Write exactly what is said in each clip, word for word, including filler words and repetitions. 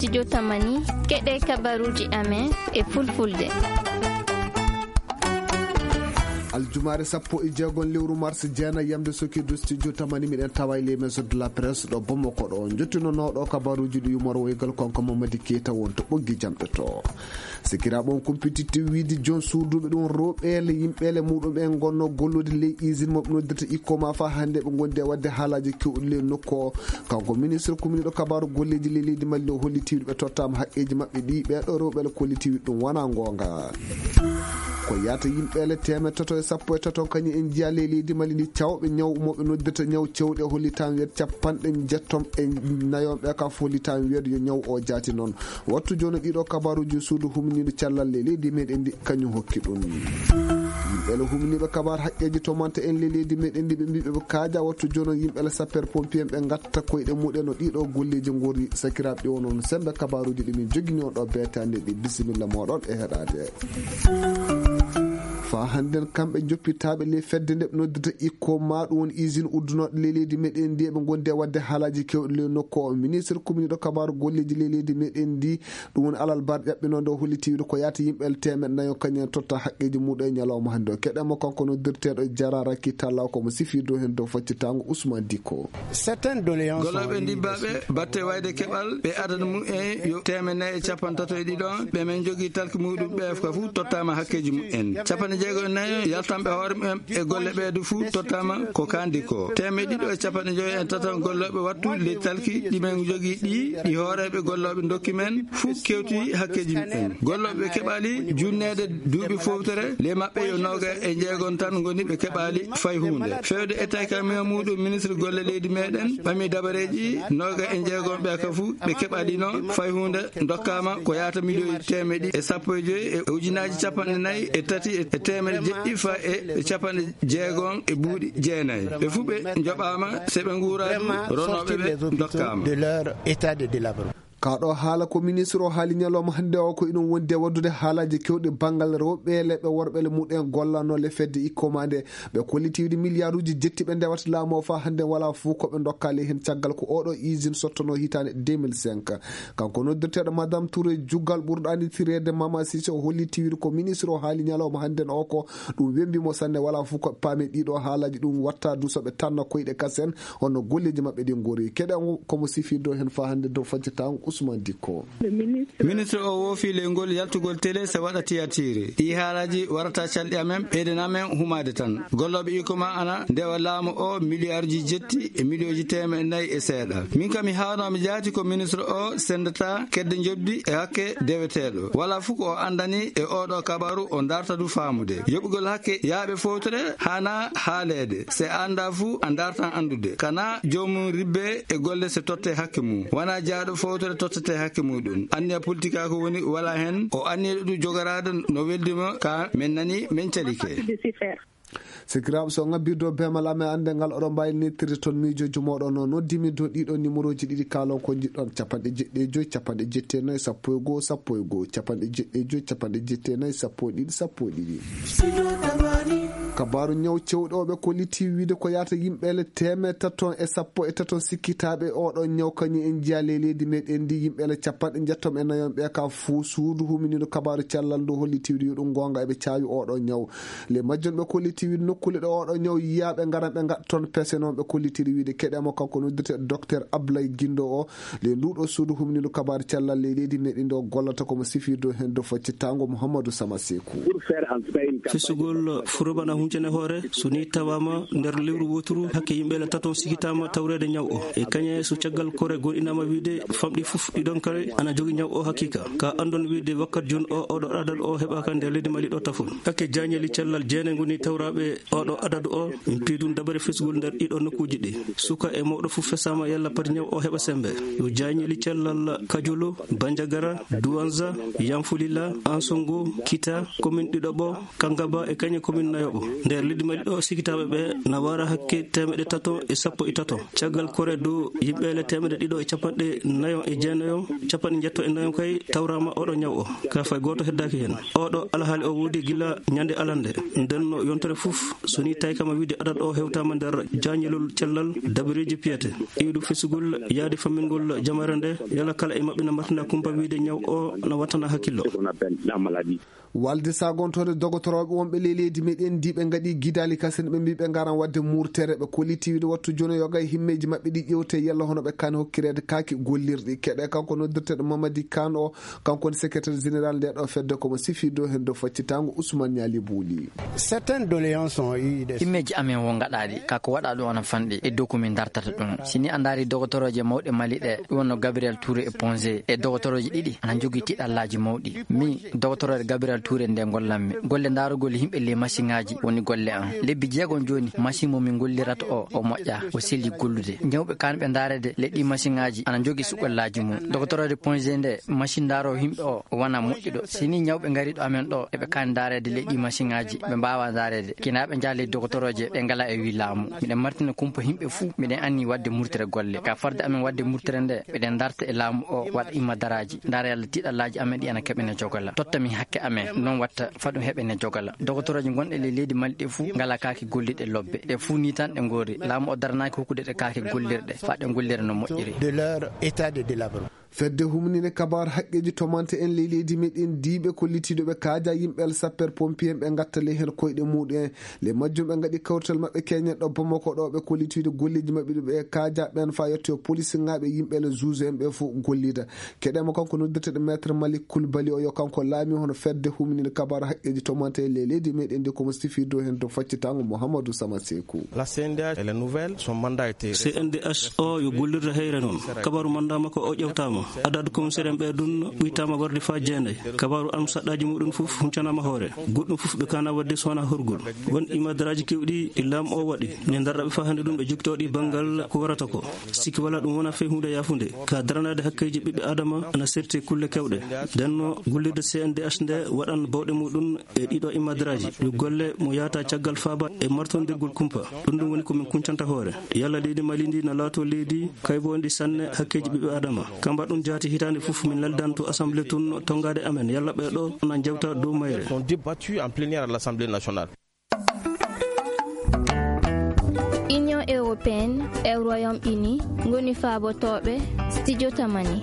Studio Tamani, keɗe kabaruji amen e fulfulde. Aljumaare sappo e jeegom lewru mars, jeena yamde sokiido studio Tamani, miɗen tawa e les maisons de la presse ɗo Bamako ɗo. Jottinonooɗo kabaruji ɗi yumor woygal kanko Mamadi Keita wonto ɓoggi jamɗe to. Sikiraaɓe on kumpititte wiide joon suuduɓe ɗum rewɓeele yimɓeele muɗum en gonno gollude ley usine mo ɓe noddirta Ikoma fa hannde ɓe gondi e waɗde haalaaji kewɗi ley nokku o. Kanko ministre kuminiiɗo kabaaru golleeji ley leydi Mali o holliti ɓe tottaama haqqeeji maɓɓe ɗi ɓeeɗo rewɓeele kolliti ɗum wona goonga. Ko yaata yimɓeele teemeɗɗe tato e sappo e tato kañum en njiya ley leydi Mali ndi cawɓe ñaw mo ɓe noddirta ñaw cewɗe hollitaama wiyat capanɗe njettom e nayo ɓe ka fof hollitaama wiyat yo ñaw o jaati noon. Wattu jooni ɗiɗo kabaruji suudu humniiɗo cellal ley leydi meɗen ndi kañum hokki ɗum. Yimɓe le humniiɓe kabar haqqeeji to manta en ley leydi meɗen ndi ɓe mbiɓe ɓe kaaja wattu jooni yimɓe le sapeur pompier ɓe ngatta koyɗe muɗen no ɗiɗo golleeji ngori sakiraaɓe ɗi wonon sembe kabaruji ɗi min jogini on ɗo beetande ɗi bisimilla moɗon e heɗade. Fa hannden kamɓe joppitaaɓe ley fedde nde ɓe noddata Ikoma ɗum woni usine uddunooɗo ley leydi meɗen ndi eɓe gondi e waɗde haalaaji kewɗi ley nokku o ministre kuminiiɗo kabaaru golleeji ley leydi meɗen ndi. Ɗum woni alal bar ƴaɓɓinoo nde o holliti wiide ko yaata yimɓe teemeɗɗe nayo kañum en totta haqqeeji muɗum e ñalawma hannde o keɗe mo kanko noddirteeɗo jararaki talla ko mo sifii dow heen dow faccitango Ousmane Dikko. Certaines doléances golloɓe ndibbaaɓe batte wayde keɓal ɓe adana mum en yo teemeɗɗe nayi e capanɗe tato e ɗiɗo ɓe men jogii talki muɗum ɓe ka fuu tottaama hakkeeji mum en capanɗe jeego e nayo yaltanɓe hoore mum en e golle ɓeeɗo fuu tottaama ko kandi ko teemeɗɗe ɗiɗo e capanɗe joyo e tato gollooɓe wattu ley talki ɗi men jogii ɗi ɗi hooreeɓe gollooɓe ndokki men fuu kewti hakkeeji mum en gollooɓe ɓe keɓaali junneede duuɓi fowtere ley maɓɓe yo nooga e jeegom tan ngoni ɓe keɓaali fay huunde feewde e tawi ka mema muɗum ministre golle leydi meɗen ɓami dabareeji nooga e jeegom ɓe ka fuu ɓe keɓaali noon fay huunde dokkaama ko yaata miliyoji teemeɗe e sappo e joyi e ujunaaji capanɗe nayi e tati e teemeɗe jeɗɗi fa e capanɗe jeegom e buuɗi jeenayi ɓe fuu ɓe njoɓaama se ɓe nguuraani ronooɓe ɓe dokkaama. Kaɗo haala ko ministre o haali ñalawma hannde o ko iɗum wondi e waɗdude haalaaji kewɗi banngal rewɓe leɓɓe worɓe le muɗen gollanoo le fedde Ikoma nde ɓe kolliti wiide miliyaaruuji jetti ɓe ndewata laamu o faa hannde walaa fof ko ɓe ndokkaali heen caggal ko oɗo usine sottanoo hitaande deux mille cinq. Kanko noddirteeɗo Madame Touré juggal ɓurɗo annditirede Mama Cissé o holliti wiide ko ministre o haali ñalawma hannden o ko ɗum wembi mo sanne walaa fof ko paami ɗiɗo haalaaji ɗum watta du so ɓe tanna koyɗe kasen honno golleeji maɓɓe ɗi ngori keɗe komo sifii dow heen faa hannde dow faccitaango Ousmane Dikko. Ministre o woofi ley ngol yaltugol télé se waɗa tiyatire ɗi haalaaji warata calɗi amen ɓeyden amen humaade tan gollooɓe Ikoma ana ndewa laamu o miliyarji jetti e miliyoji teemeɗe nayi e seeɗa min kam mi haanoo mi jaati ko ministre o sendata kedde njoɓdi e hakke deweteeɗo wala fof ko o anndani e oɗo kabaru o darta du faamude yoɓugol hakke yaaɓe fowtere haana haaleede se a annda fuu a dartan anndude kana joomum ribbe e golle se totte hakke mum wona jaaɗo fowtere tottete hakke muɗum anniya politika ko woni wala heen o anniyeɗo ɗum jogoraade no weldima ka min nani min calike. Sikiraaɓe so ngabbirde o beemal amen annde ngal oɗon mbaawi nettirde toon miijooji mooɗon o noddimi dow ɗiɗo numéroji ɗiɗi kaalon ko njiɗɗon capanɗe jeɗɗi e joyi capanɗe jetti e nayi sappo e goo sappo e goo capanɗe jeɗɗi e joyi capanɗe jetti e nayi sappo e ɗiɗi sappo e ɗiɗi. Kabaaru ñaw cewɗo o ɓe kolliti wiide ko yaata yimɓeele teemeɗɗe taton e sappo e taton sikkitaaɓe oɗo ñaw kañum en njiya ley leydi meɗen ndi yimɓeele capanɗe njettom e nayon ɓe ka fuu suudu huminiiɗo kabaaru cellal ndu holliti wiide yo ɗum goonga eɓe caawi oɗo ñaw. Le majjon ɓe kolliti wiide nokkuule ɗo oɗo ñaw yiya ɓe ngaran ɓe ngaɗa toon pese noon ɓe kollitiri wiide keɗe mo kanko noddirte docteur Ablaye Guindo o le nduɗo suudu humniiɗo kabaaru cellal ley leydi meɗen ɗo gollata komo sifirde heen dow faccitango Mouhamadou Sama Seku. Fesugol furoɓana huncene hoore so ni tawama nder lewru woturu hakke yimɓe la taton sigitama tawrede ñaw o e kañe so caggal kore goɗinama wiide famɗi fof ɗiɗon kare ana jogi ñaw o hakika ka andon wiide wakkat jun o oɗo adad o heɓaka nder leydi mali ɗo tafol hakke jañeli cellal jeene ngoni tawraɓe oɗo adadu o min piidun dabare fesgol nder ɗiɗo nokkuji ɗi suka e mawɗo fof fesama yalla pati ñaw o heɓa sembe yo jañeli cellal kajolo banjagara duwanza yanfulila ansongo kita komin ɗiɗoɓo kangaba e kañe komin nayoɓo Nder leydi Mali ɗo, sikitaaɓe ɓe na wara hakke teemeɗɗe tato e sappo e tato. Caggal kore dow yimɓeele teemeɗɗe ɗiɗo e capanɗe nayo e jeenayo, capanɗe njetto e nayo kay tawraama oɗo ñaw o. Ka fay gooto heddaaki heen. Oɗo alhaali o woodi gila ñande alande. Nden no yontere fof, so ni tawi kama wiide adad o hewtaama nder jañilol cellal dabareeji piyete. Iwdu fesugol yaade fammingol jamare nde, yala kala e maɓɓe na martina kumpa wiide ñaw o na wattana hakkillo. Walde sagontoore dogotorooɓe wonɓe ley leydi meɗen ndi ɓe ngaɗi gidaali kasen, ɓe mbi ɓe ngaran wadde murtere, ɓe kolliti wiide wattu jono yoga e himmeeji maɓɓe ɗi ƴewte yalla hono ɓe kan hokkireede kaaki gollirɗi. Keɗe kanko noddirteɗo Mamadi Kan o, kanko woni secrétaire général nde ɗo fedde, komo sifirde o heen dow faccitango Ousmane Niali Bouli. Certaines doléances ont eu des Himmeeji amen wo ngaɗaaɗi, ka ko waɗa ɗum ana fanɗi e dow ko min dartata ɗum. Si ni a ndaari dogotorooje mawɗe Mali ɗe, ɗum wonno Gabriel Touré e Ponzé, e dogotorooje ɗiɗi ana njogii tiɗallaaji mawɗi. Mi, dogotorooje Gabriel Touré nde ngollanmi. Golle ndaarugol yimɓe ley masiŋaaji woni golle am. Lebbi jeegom jooni, masiŋ mo min ngollirata o, o moƴƴa, o selli gollude. Ñawɓe kanɓe ndaareede ley ɗi masiŋaaji ana njogii suɓallaaji mum. Dogotorooje Ponzé nde, masiŋ ndaaro yimɓe o, o wona moƴƴuɗo. Si ni ñawɓe ngari ɗo amen ɗo, eɓe kaani ndaareede ley ɗi masiŋaaji, ɓe mbaawa ndaareede. Kina ɓe njaha ley dogotorooje, ɓe ngala e wi laamu. Miɗen martina kumpa yimɓe fuu, miɗen anni waɗde murtere golle. Ka farde amen waɗde murtere nde, miɗen darta e laamu o, waɗa imma daraaji. Ndaara yalla tiɗallaaji amen ɗi ana keɓene jogala. Totta min hakke amen, non watta fa ɗum heɓene jogala. Dogotorooje gonɗe ley leydi Mali ɗe fuu, ngala kaake golliɗe lobbe. Ɗe fuu ni tan ɗe ngori. Laamu o daranaaki hokkude ɗe kaake gollirɗe, fa ɗe gollira no moƴƴiri. De leur état de délabrement. Fedde humninde kabaar haqqeeji tomante en ley leydi meɗen diiɓe kollitiiɗo ɓe kaaja yimɓe sapeur pompier ɓe ngattale heen koyɗe muɗum en. Le majjum ɓe ngaɗi kawrital maɓɓe keñen ɗo Bamako ɗo ɓe kollitiiɗo golleeji maɓɓe ɗi ɓe kaaja ɓen fa yetto police ŋaaɓe yimɓe le juge en ɓe fof gollida. Keɗema kanko noddirteɗo maître Malik Koulibaly o yo kanko laami hono fedde humninde kabaar haqqeeji tomante en ley leydi meɗen ndi komo sifirde o heen to faccitango Mouhamadou Sama Sekou. La C N D H, elle est nouvelle, son mandat a été C N D H o yo gollirde heyre noon. Kabaru manda makko o ƴewtaama. Adadu commissaire en ɓe ɗum ɓuytaama warde faa jeenayi. Kabaru am saɗɗaaji muɗum fof huncanaama hoore. Goɗɗum fof ɓe kaana wadde so wonaa horgol. Won imadaraaji keewɗi e laamu o waɗi. Ne ndarɗa ɓe faa hannde ɗum ɓe jogitooɗi banngal ko warata ko. Sikki wala ɗum wona fey huunde yaafunde. Ka daranaade hakkeeji ɓiɓɓe Adama ana serti kulle kewɗe. Ndenno gollirde C N D H nde waɗan bawɗe muɗum e ɗiɗo imadaraaji. Yo golle mo yaata caggal faaba e martondirgol kumpa. Ɗum ɗum woni ko min kuncanta hoore. Yalla leydi Mali ndi na laato leydi kaybo ndi sanne hakkeeji ɓiɓɓe Adama. Kamba ɗum jaati hitaande fof min laldan to assemblée tun tongaade amen. Yalla ɓe ɗo na jawta dow mayre. Sont débattus en plénière à l'Assemblée nationale. Union européenne e Royaume Uni ngoni faabotooɓe studio Tamani.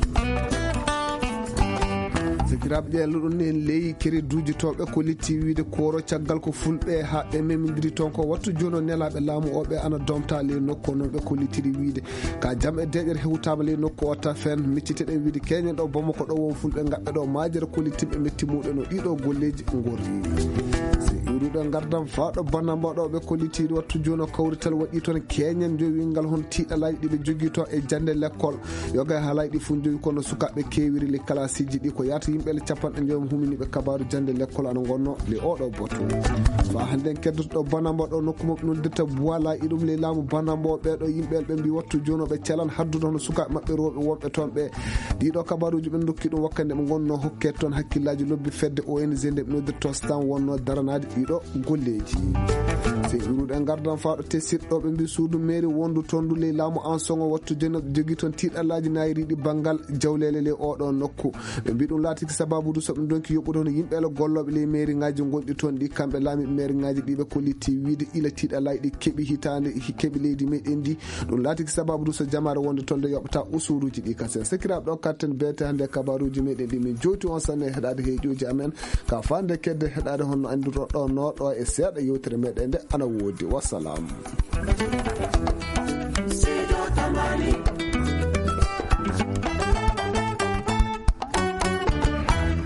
Sikiraaɓe ƴeelluɗon en ley kereduuji tooɓe ko litti wiide kooro caggal ko fulɓe haa ɓe memindiri toon ko wattu jooni o nelaaɓe laamu o ɓe ana domta ley nokku o noon ɓe ko littiri wiide ka jam e deeƴere hewtaama ley nokku o ta fen micciteɗen wiide keñen ɗo Bamako ɗo won fulɓe ngaɓɓe ɗo maajere ko littimɓe metti muɗen o ɗiɗo golleeji ngorri. Si iwruɗo ngardam faa ɗo Banamba ɗo ɓe ko littiri wattu jooni o kawrital waɗi toon keñen jowingal hon tiiɗalaaji ɗi ɓe jogii toon e jannde lekkol. Yoga e haalaaji ɗi fof njowi kono sukaaɓe keewiri le kalaasiiji ɗi ko yaata yimɓe le capanɗe njoyo huminiiɓe kabaaru jannde lekkol ana ngonno le oɗo boto. Faa hannde en keddoto ɗo Banamba ɗo nokku maɓɓe noddirta Buwala iɗum le laamu Banamba o ɓeeɗo yimɓe ɓe mbi wattu jooni o ɓe calan haddude hono sukaaɓe maɓɓe rewɓe wonɓe toon ɓe. Ɗiɗo kabaaruuji ɓe ndokki ɗum wakkande ɓe ngonno hokke toon hakkillaaji lobbi fedde O N G nde ɓe noddirta Stan wonno daranaade ɗiɗo golleeji. Sey iwruɗo e ngardan faa ɗo tesiɗɗo ɓe mbi suudu mairie wondu toon ndu ley laamu Ansoŋo wattu jeno jogii toon tiiɗallaaji naayiriiɗi banngal jawleele ley oɗo nokku. Ɓe mbi ɗum laatiki sababudu so ɓe ndonki yoɓude hono yimɓe le gollooɓe ley mairie ŋaaji ngonɗi toon ɗi kamɓe laamiiɓe mairie ŋaaji ɗi ɓe ko litti wiide ila tiiɗallaaji ɗi keɓi hitaande keɓi leydi meɗen ndi. Ɗum laatiki sababudu so jamaare wonde toon nde yoɓata usuuruuji ɗi kasen. Sekiraaɓe ɗo katten beete hannde kabaaruuji meɗen ɗi min jowti on sanne heɗaade heeƴuuji amen. Ka fande kedde heɗaade honno anndirɗo ɗo nooɗo e seeɗa yewtere meɗen nde ana woodi. Wassalam.